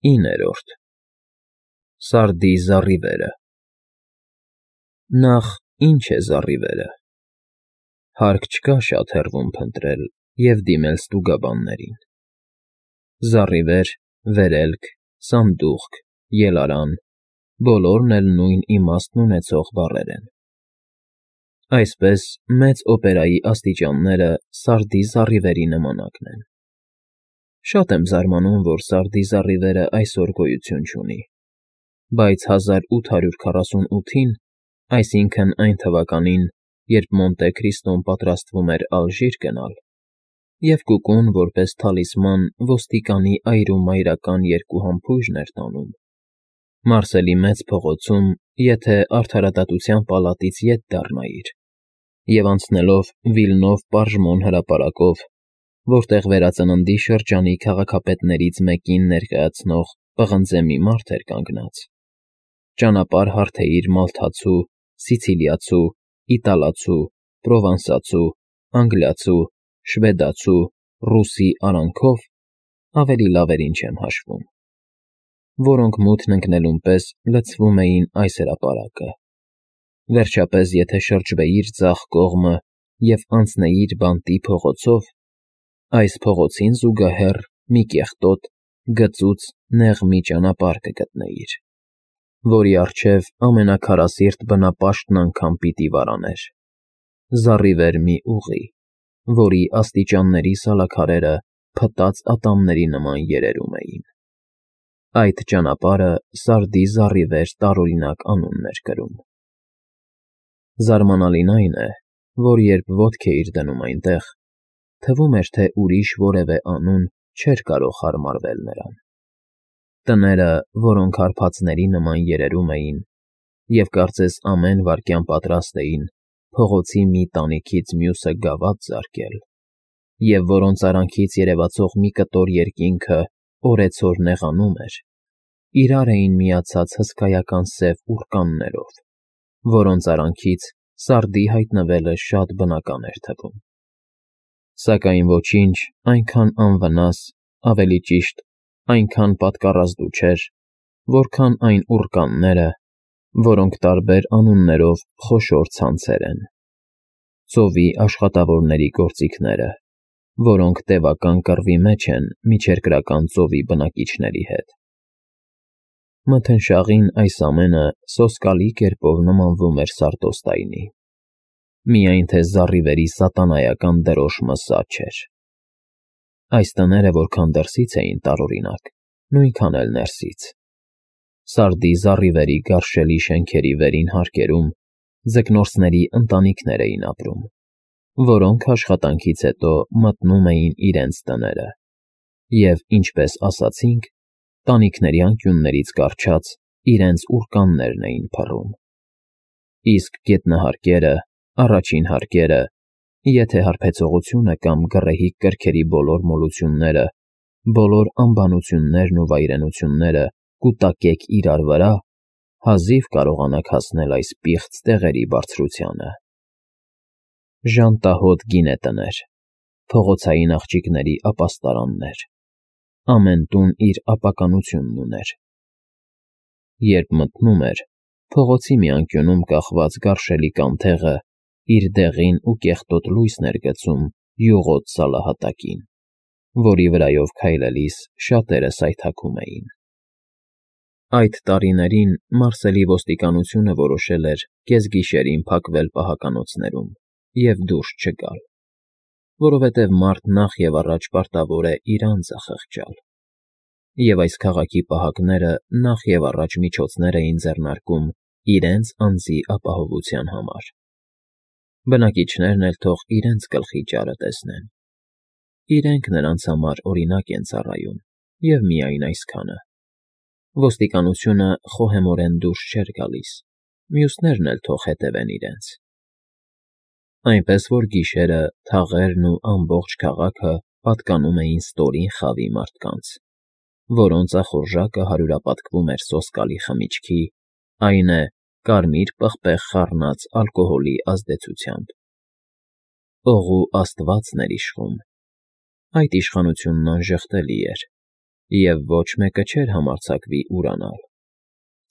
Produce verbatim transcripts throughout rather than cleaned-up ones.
իններորդ Սարդի զառիվերը Նախ, ի՞նչ է զառիվերը։ Հարկ չկա շատ հեռվում փնտրել և դիմել ստուգաբաններին. զառիվեր, վերելք, սանդուղք, ելարան, բոլորն էլ նույն իմաստն ունեցող բառեր են։ Այսպես, մեծ օպերայի աստիճանները սարդի զառիվերի նմանակն են։ Շատ եմ զարմանում, որ սարդի զառիվերը այսօր գոյություն չունի, բայց հազար ութ հարյուր քառասունութին, այսինքն՝ այն թվականին, երբ Մոնտե Քրիստոն պատրաստվում էր Ալժիր գնալ, և Կուկուն, որպես թալիսման, ոստիկանի այրումայրական երկու համբույրն էր տանում, Մարսելի Մեծ փողոցում, եթե Արդարադատության պալատից ետ դառնայիր, և անցնելով Վիլնով Պարժմոն հրապարակով, որտեղ Վերածննդի շրջանի քաղաքապետներից մեկին ներկայացնող պղնձե մի մարդ էր կանգնած, ճանապարհ հարթեիր մալթացու, սիցիլիացու, իտալացու, պրովանսացու, անգլիացու, շվեդացու, ռուսի արանքով, ավելի լավերին չեմ հաշվում, որոնք մութն ընկնելուն պես լցվում էին այս հրապարակը, վերջապես եթե շրջվեիր ձախ կողմը և անցնեիր բանտի փողոցով, այս փողոցին զուգահեռ մի կեղտոտ, գծուծ, նեղ մի ճանապարհ կգտնեիր, որի առջև ամենաքարասիրտ բնապաշտն անգամ պիտի վարաներ, զառիվեր մի ուղի, որի աստիճանների սալաքարերը փտած ատամների նման երերում էին։ Այդ ճանապարհը Սարդի զառիվեր տարօրինակ անունն էր կրում։ Զարմանալին այն է, որ երբ ոտք էիր դնում այնտեղ, թվում էր, թե ուրիշ որևէ անուն չէր կարող հարմարվել նրան։ Տները, որոնք հարբածների նման երերում էին և կարծես ամեն վայրկյան պատրաստ էին փողոցի մի տանիքից մյուսը գավաթ զարկել, և որոնց արանքից երևացող մի կտոր երկինքը օրեցօր նեղանում էր, իրար էին միացած հսկայական սև ուռկաններով, որոնց արանքից Սարդի հայտնվելը շատ բնական էր թվում։ Սակայն ոչինչ այնքան անվնաս, ավելի ճիշտ, այնքան պատկառազդու չէր, որքան այն ուռկանները, որոնք տարբեր անուններով խոշոր ցանցեր են, ծովի աշխատավորների գործիքները, որոնք տևական կռվի մեջ են Միջերկրական ծովի բնակիչների հետ։ Մթնշաղին այս ամենը սոսկալի կերպով նմանվում էր Սարդոստայնի, միայն թե զառիվերի սատանայական դրոշմը սա չէր։ Այս տները որքան դրսից էին տարօրինակ, նույնքան էլ ներսից։ Սարդի զառիվերի գարշելի շենքերի վերին հարկերում ձկնորսների ընտանիքներ էին ապրում, որոնք աշխատանքից հետո մտնում էին իրենց տները և, ինչպես ասացինք, տանիքների անկյուններից կառչած իրենց ուռկաններն էին փռում։ Իսկ գետնահարկերը, առաջին հարկերը, եթե հարբեցողությունը կամ գռեհիկ կրքերի բոլոր մոլությունները, բոլոր անբանություններն ու վայրենությունները կուտակեք իրար վրա, հազիվ կարողանաք հասնել այս պիղծ տեղերի բարձրությանը։ Ժանտահոտ գինետներ, փողոցային աղջիկների ապաստարաններ, ամեն տուն իր ապականությունն ուներ։ Երբ մթնում էր, փողոցի մի անկյունում կախված գարշելի կանթեղը իր դեղին ու կեղտոտ լույսն էր գցում յուղոտ սալահատակին, որի վրայով քայլելիս շատերը սայթաքում էին։ Այդ տարիներին Մարսելի ոստիկանությունը որոշել էր կեսգիշերին փակվել պահականոցներում և դուրս չգալ, որովհետև մարդ նախ և առաջ պարտավոր է իր անձը խղճալ, և այս քաղաքի պահակները նախ և առաջ միջոցներ էին ձեռնարկում իրենց անձի ապահովության համար։ Բնակիչներն էլ թող իրենց գլխի ճարը տեսնեն։ Իրենք նրանց համար օրինակ են ծառայում, և միայն այսքանը։ Ոստիկանությունը խոհեմորեն դուրս չէր գալիս, մյուսներն էլ թող հետևեն իրենց։ Այնպես որ գիշերը թաղերն ու ամբողջ քաղաքը պատկանում էին ստորին խավի մարդկանց, որոնց ախորժակը հարյուրապատկվում էր սոսկալի խմիչքի, այն է, կարմիր պղպեղ խառնած ալկոհոլի ազդեցությամբ։ Օղու աստվածն էր իշխում։ Այդ իշխանությունն անժխտելի էր, և ոչ մեկը չէր համարձակվի ուրանալ։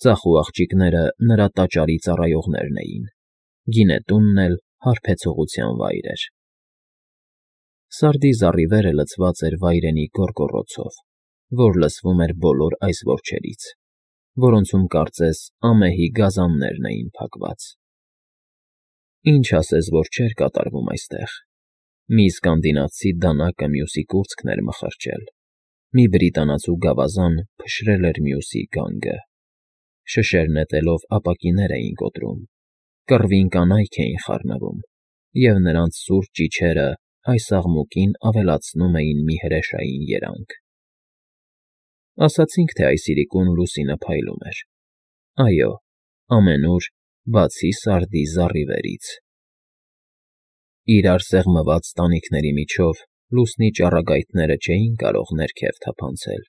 Ծախու աղջիկները նրա տաճարի ծառայողներն էին, գինետունն էլ հարբեցողության վայր էր։ Սարդի զառիվերը լցված էր վայրենի գոռգոռոցով, որ լսվում էր բոլոր այս որջերից, որոնցում կարծես ամեհի գազաններն էին փակված։ Ինչ ասես, որ չէր կատարվում այստեղ. մի սկանդինավցի դանակը մյուսի կուրծքն էր մխրճել, մի բրիտանացու գավազան փշրել էր մյուսի գանգը, շշեր նետելով ապակիներ էին կոտրում, կռվին կանայք էին խառնվում, և նրանց սուր ճիչերը այս աղմուկին ավելացնում էին մի հրեշային երանգ։ Ասացինք, թե այս իրիկուն լուսինը փայլում էր։ Այո, ամենուր, բացի Սարդի զառիվերից։ Իրար սեղմված տանիքների միջով լուսնի ճառագայթները չէին կարող ներքև թափանցել,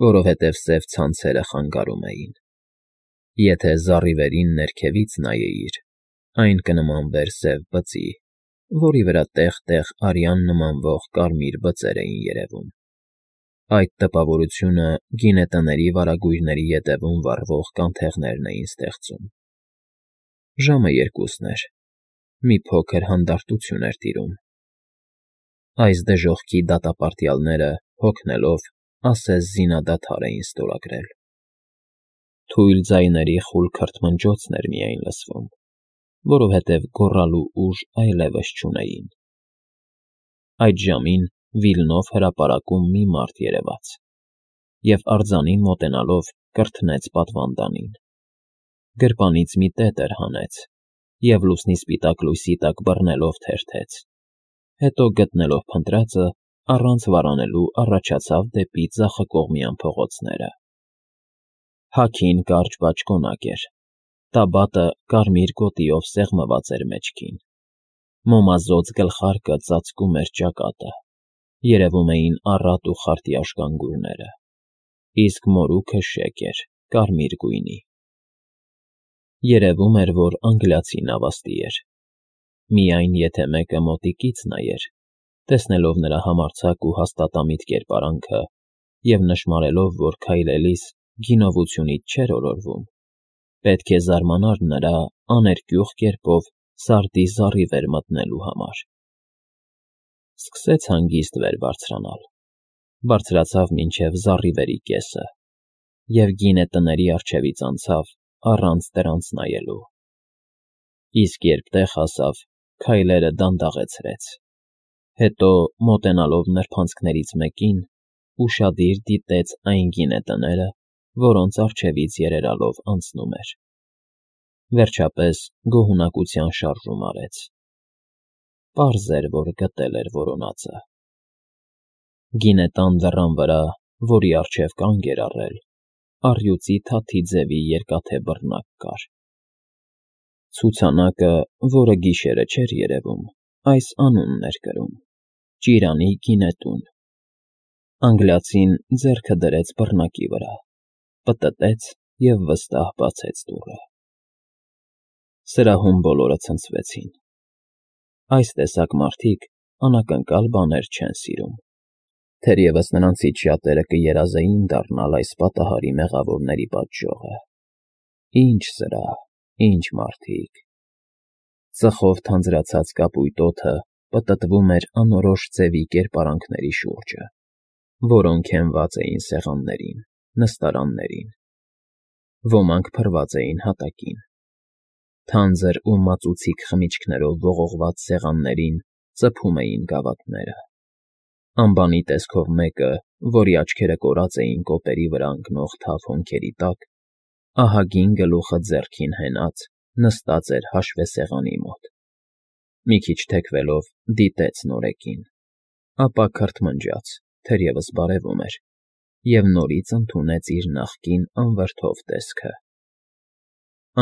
որովհետև սև ցանցերը խանգարում էին։ Եթե զառիվերին ներքևից նայեիր, այն կնմանվեր սև բծի, որի վրա տեղ֊տեղ արյան նմանվող կարմիր բծեր էին երևում։ Այդ տպավորությունը գինետների վարագույրների ետևում վառվող կանթեղներն էին ստեղծում։ Ժամը երկուսն էր, մի փոքր հանդարտություն էր տիրում։ Այս դժոխքի դատապարտյալները, հոգնելով, ասես զինադադար էին ստորագրել։ Թույլ ձայների խուլ քրթմնջոցն էր միայն լսվում, որովհետև գոռալու ուժ այլևս չունեին։ Այդ ժամին Վիլնով հրապարակում մի մարդ երևաց և, արձանին մոտենալով, կրթնեց պատվանդանին։ Գրպանից մի տետր հանեց և լուսնի սպիտակ լույսի տակ բռնելով թերթեց, հետո, գտնելով փնտրածը, առանց վարանելու առաջացավ դեպի ձախակողմյան փողոցները։ Հագին կարճ բաճկոնակ էր, տաբատը կարմիր գոտիով սեղմված էր մեջքին, մոմազոծ գլխարկը ծածկում էր ճակատը, երևում էին առատ ու խարտյաշ գանգուրները, իսկ մորուքը շեկ էր, կարմիր գույնի։ Երևում էր, որ անգլիացի նավաստի էր։ Միայն եթե մեկը մոտիկից նայեր, տեսնելով նրա համարձակ ու հաստատամիտ կերպարանքը և նշմարելով, որ քայլելիս գինովությունից չէր ոլորվում, պետք է զարմանար նրա աներկյուղ կերպով Սարդի զառիվեր մտնելու համար։ Սկսեց հանգիստ վեր բարձրանալ, բարձրացավ մինչև զառիվերի կեսը և գինետների առջևից անցավ առանց դրանց նայելու։ Իսկ երբ տեղ հասավ, քայլերը դանդաղեցրեց, հետո, մոտենալով նրբանցքներից մեկին, ուշադիր դիտեց այն գինետները, որոնց առջևից երերալով անցնում էր։ Վերջապես գոհունակության շարժում արեց։ Պարզ էր, որ գտել էր որոնածը։ Գինետան դռան վրա, որի առջև կանգ էր առել, առյուծի թաթի ձևի երկաթե բռնակ կար։ Ցուցանակը, որը գիշերը չէր երևում, այս անունն էր կրում. Ճիրանի գինետուն։ Անգլիացին ձեռքը դրեց բռնակի վրա, պտտեց և վստահ բացեց դուռը։ Սրահում բոլորը ցնցվեցին։ Այս տեսակ մարդիկ անակնկալ բաներ չեն սիրում։ Թերևս նրանցից շատերը կերազեին դառնալ այս պատահարի մեղավորների պատժողը։ Ինչ սրահ, ինչ մարդիկ… Ծխով թանձրացած կապույտ օդը պտտվում էր անորոշ ձևի կերպարանքների շուրջը, որոնք հենված էին սեղաններին, նստարաններին։ Ոմանք փռված էին հատակին։ Թանձր ու մածուցիկ խմիչքներով ողողված սեղաններին ծփում էին գավաթները։ Ամբանի տեսքով մեկը, որի աչքերը կորած էին կոպերի վրա ընկնող թավ հոնքերի տակ, ահագին գլուխը ձեռքին հենած, նստած էր հաշվեսեղանի մոտ։ Մի քիչ թեքվելով, դիտեց նորեկին, ապա քրթմնջաց, թերևս բարևում էր, և նորից ընդունեց իր նախկին անվրդով տեսքը։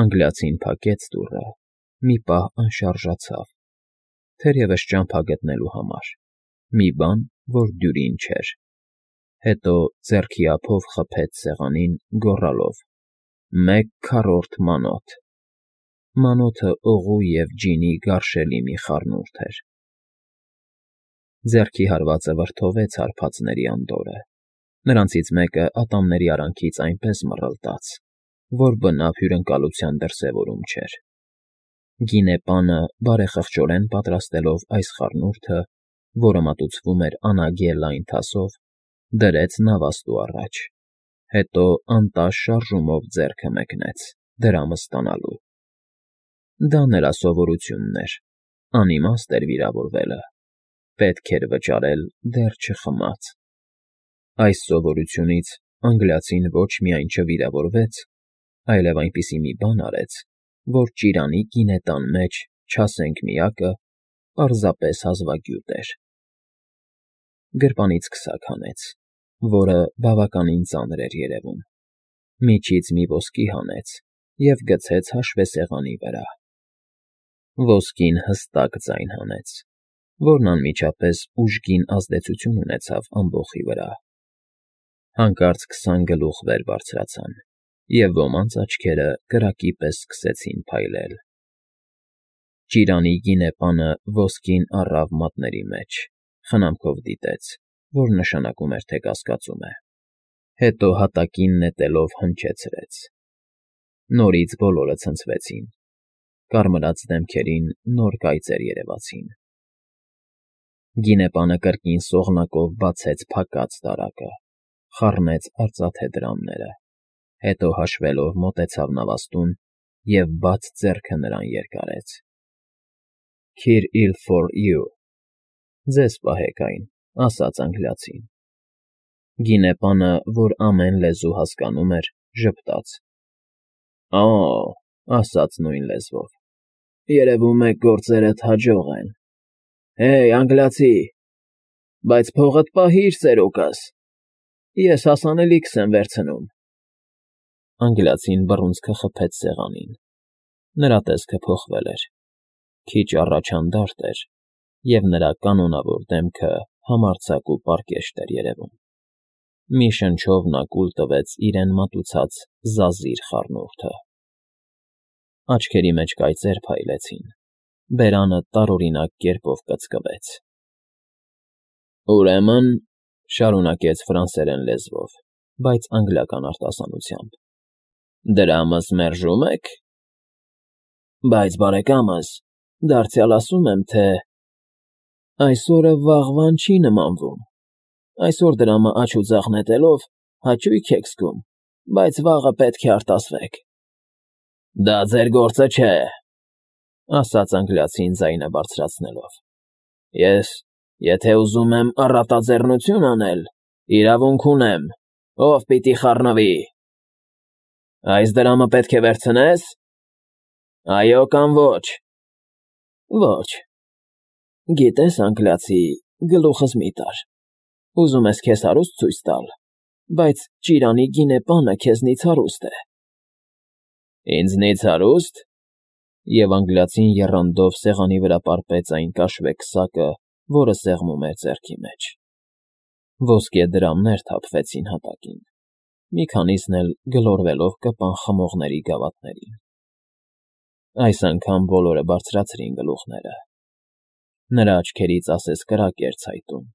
Անգլիացին փակեց դուռը, մի պահ անշարժացավ, թերևս ճամփա գտնելու համար, մի բան, որ դյուրին չէր, հետո ձեռքի ափով խփեց սեղանին, գոռալով. «Մեկ քառորդ մանոթ»։ Մանոթը օղու և ջինի գարշելի մի խառնուրդ էր։ Ձեռքի հարվածը վրդովեց հարբածների անդորրը, Նրանցից մեկը ատամների արանքից այնպես մռլտաց, որ բնավ հյուրընկալության դրսևորում չէր։ Գինե պանը, բարեխղճորեն պատրաստելով այս խառնուրդը, որը մատուցվում էր անագե լայն թասով, դրեց նավաստու առաջ, հետո անտաշ շարժումով ձեռքը մեկնեց, դրամը ստանալու։ Դա նրա սովորությունն էր, անիմաստ էր վիրավորվելը, պետք էր վճարել դեռ չխմած։ Այս սովորությունից անգլիացին ոչ միայն չվիրավորվեց, այլև այնպիսի մի բան արեց, որ ճիրանի գինետան մեջ, չասենք միակը, պարզապես հազվագյուտ էր։ Գրպանից քսակ հանեց, որը բավականին ծանր էր երևում, միջից մի ոսկի հանեց և գցեց հաշվեսեղանի վրա։ Ոսկին հստակ ձայն հանեց, որն անմիջապես ուժգին ազդեցություն ունեցավ ամբոխի վրա։ Հանկարծ քսան գլուխ վեր բարձրացան, և ոմանց աչքերը կրակի պես սկսեցին փայլել։ Ճիրանի գինե պանը ոսկին առավ մատների մեջ, խնամքով դիտեց, որ նշանակում էր, թե կասկածում է, հետո հատակին նետելով հնչեցրեց։ Նորից բոլորը ցնցվեցին, կարմրած դեմքերին նոր կայծեր երևացին։ Գինե պանը կրկին սողնակով բացեց փակած տարակը, խառնեց արծաթե դրամները, հետո հաշվելով մոտեցավ նավաստուն և բաց ձեռքը նրան երկարեց։ Քիր իլ ֆոր յու, ձեզ պահեք այն, ասաց անգլիացին։ Գինե պանը, որ ամեն լեզու հասկանում էր, ժպտաց. Օ՜, ասաց նույն լեզվով, երևում է գործերդ հաջող են։ Հեյ, անգլիացի, բայց փողդ պահիր, ծերուկս, ես հասանելիքս եմ վերցնում։ Անգլիացին բռունցքը խփեց սեղանին։ Նրա տեսքը փոխվել էր, քիչ առաջ հանդարտ էր, և նրա կանոնավոր դեմքը համարձակ ու պարկեշտ էր երևում։ Մի շնչով նա կուլ տվեց իրեն մատուցած զազիր խառնուրդը։ Աչքերի մեջ կայծեր փայլեցին, բերանը տարօրինակ կերպով կծկվեց։ Ուրեմն, շարունակեց ֆրանսերեն լեզվով, բայց անգլիական արտասանությամբ, դրամս մերժում եք։ Բայց, բարեկամս, դարձյալ ասում եմ, թե… Այսօրը վաղվան չի նմանվում։ Այսօր դրամը աջ ու ձախ նետելով հաճույք եք զգում, բայց վաղը պետք է արտասվեք։ Դա ձեր գործը չէ, ասաց անգլիացին ձայնը բարձրացնելով։ Ես, եթե ուզում եմ առատաձեռնություն անել, իրավունք ունեմ, ով պիտի խառնվի։ Այս դրամը պետք է վերցնե՞ս։ Այո կամ ոչ։ Ոչ։ Գիտես, անգլիացի, գլուխս մի տար։ Ուզում ես քեզ հարուստ ցույց տալ, բայց ճիրանի գինե պանը քեզնից հարուստ է։ Ինձնից հարուստ։ Եվ անգլիացին եռանդով սեղանի վրա պարպեց այն կաշվե քսակը, որը սեղմում էր ձեռքի մեջ։ Ոսկե դրամներ թափվեցին հատակին, մի քանիսն էլ գլորվելով կպան խմողների գավաթներին։ Այս անգամ բոլորը բարձրացրին գլուխները։ Նրա աչքերից ասես կրակ էր ցայտում,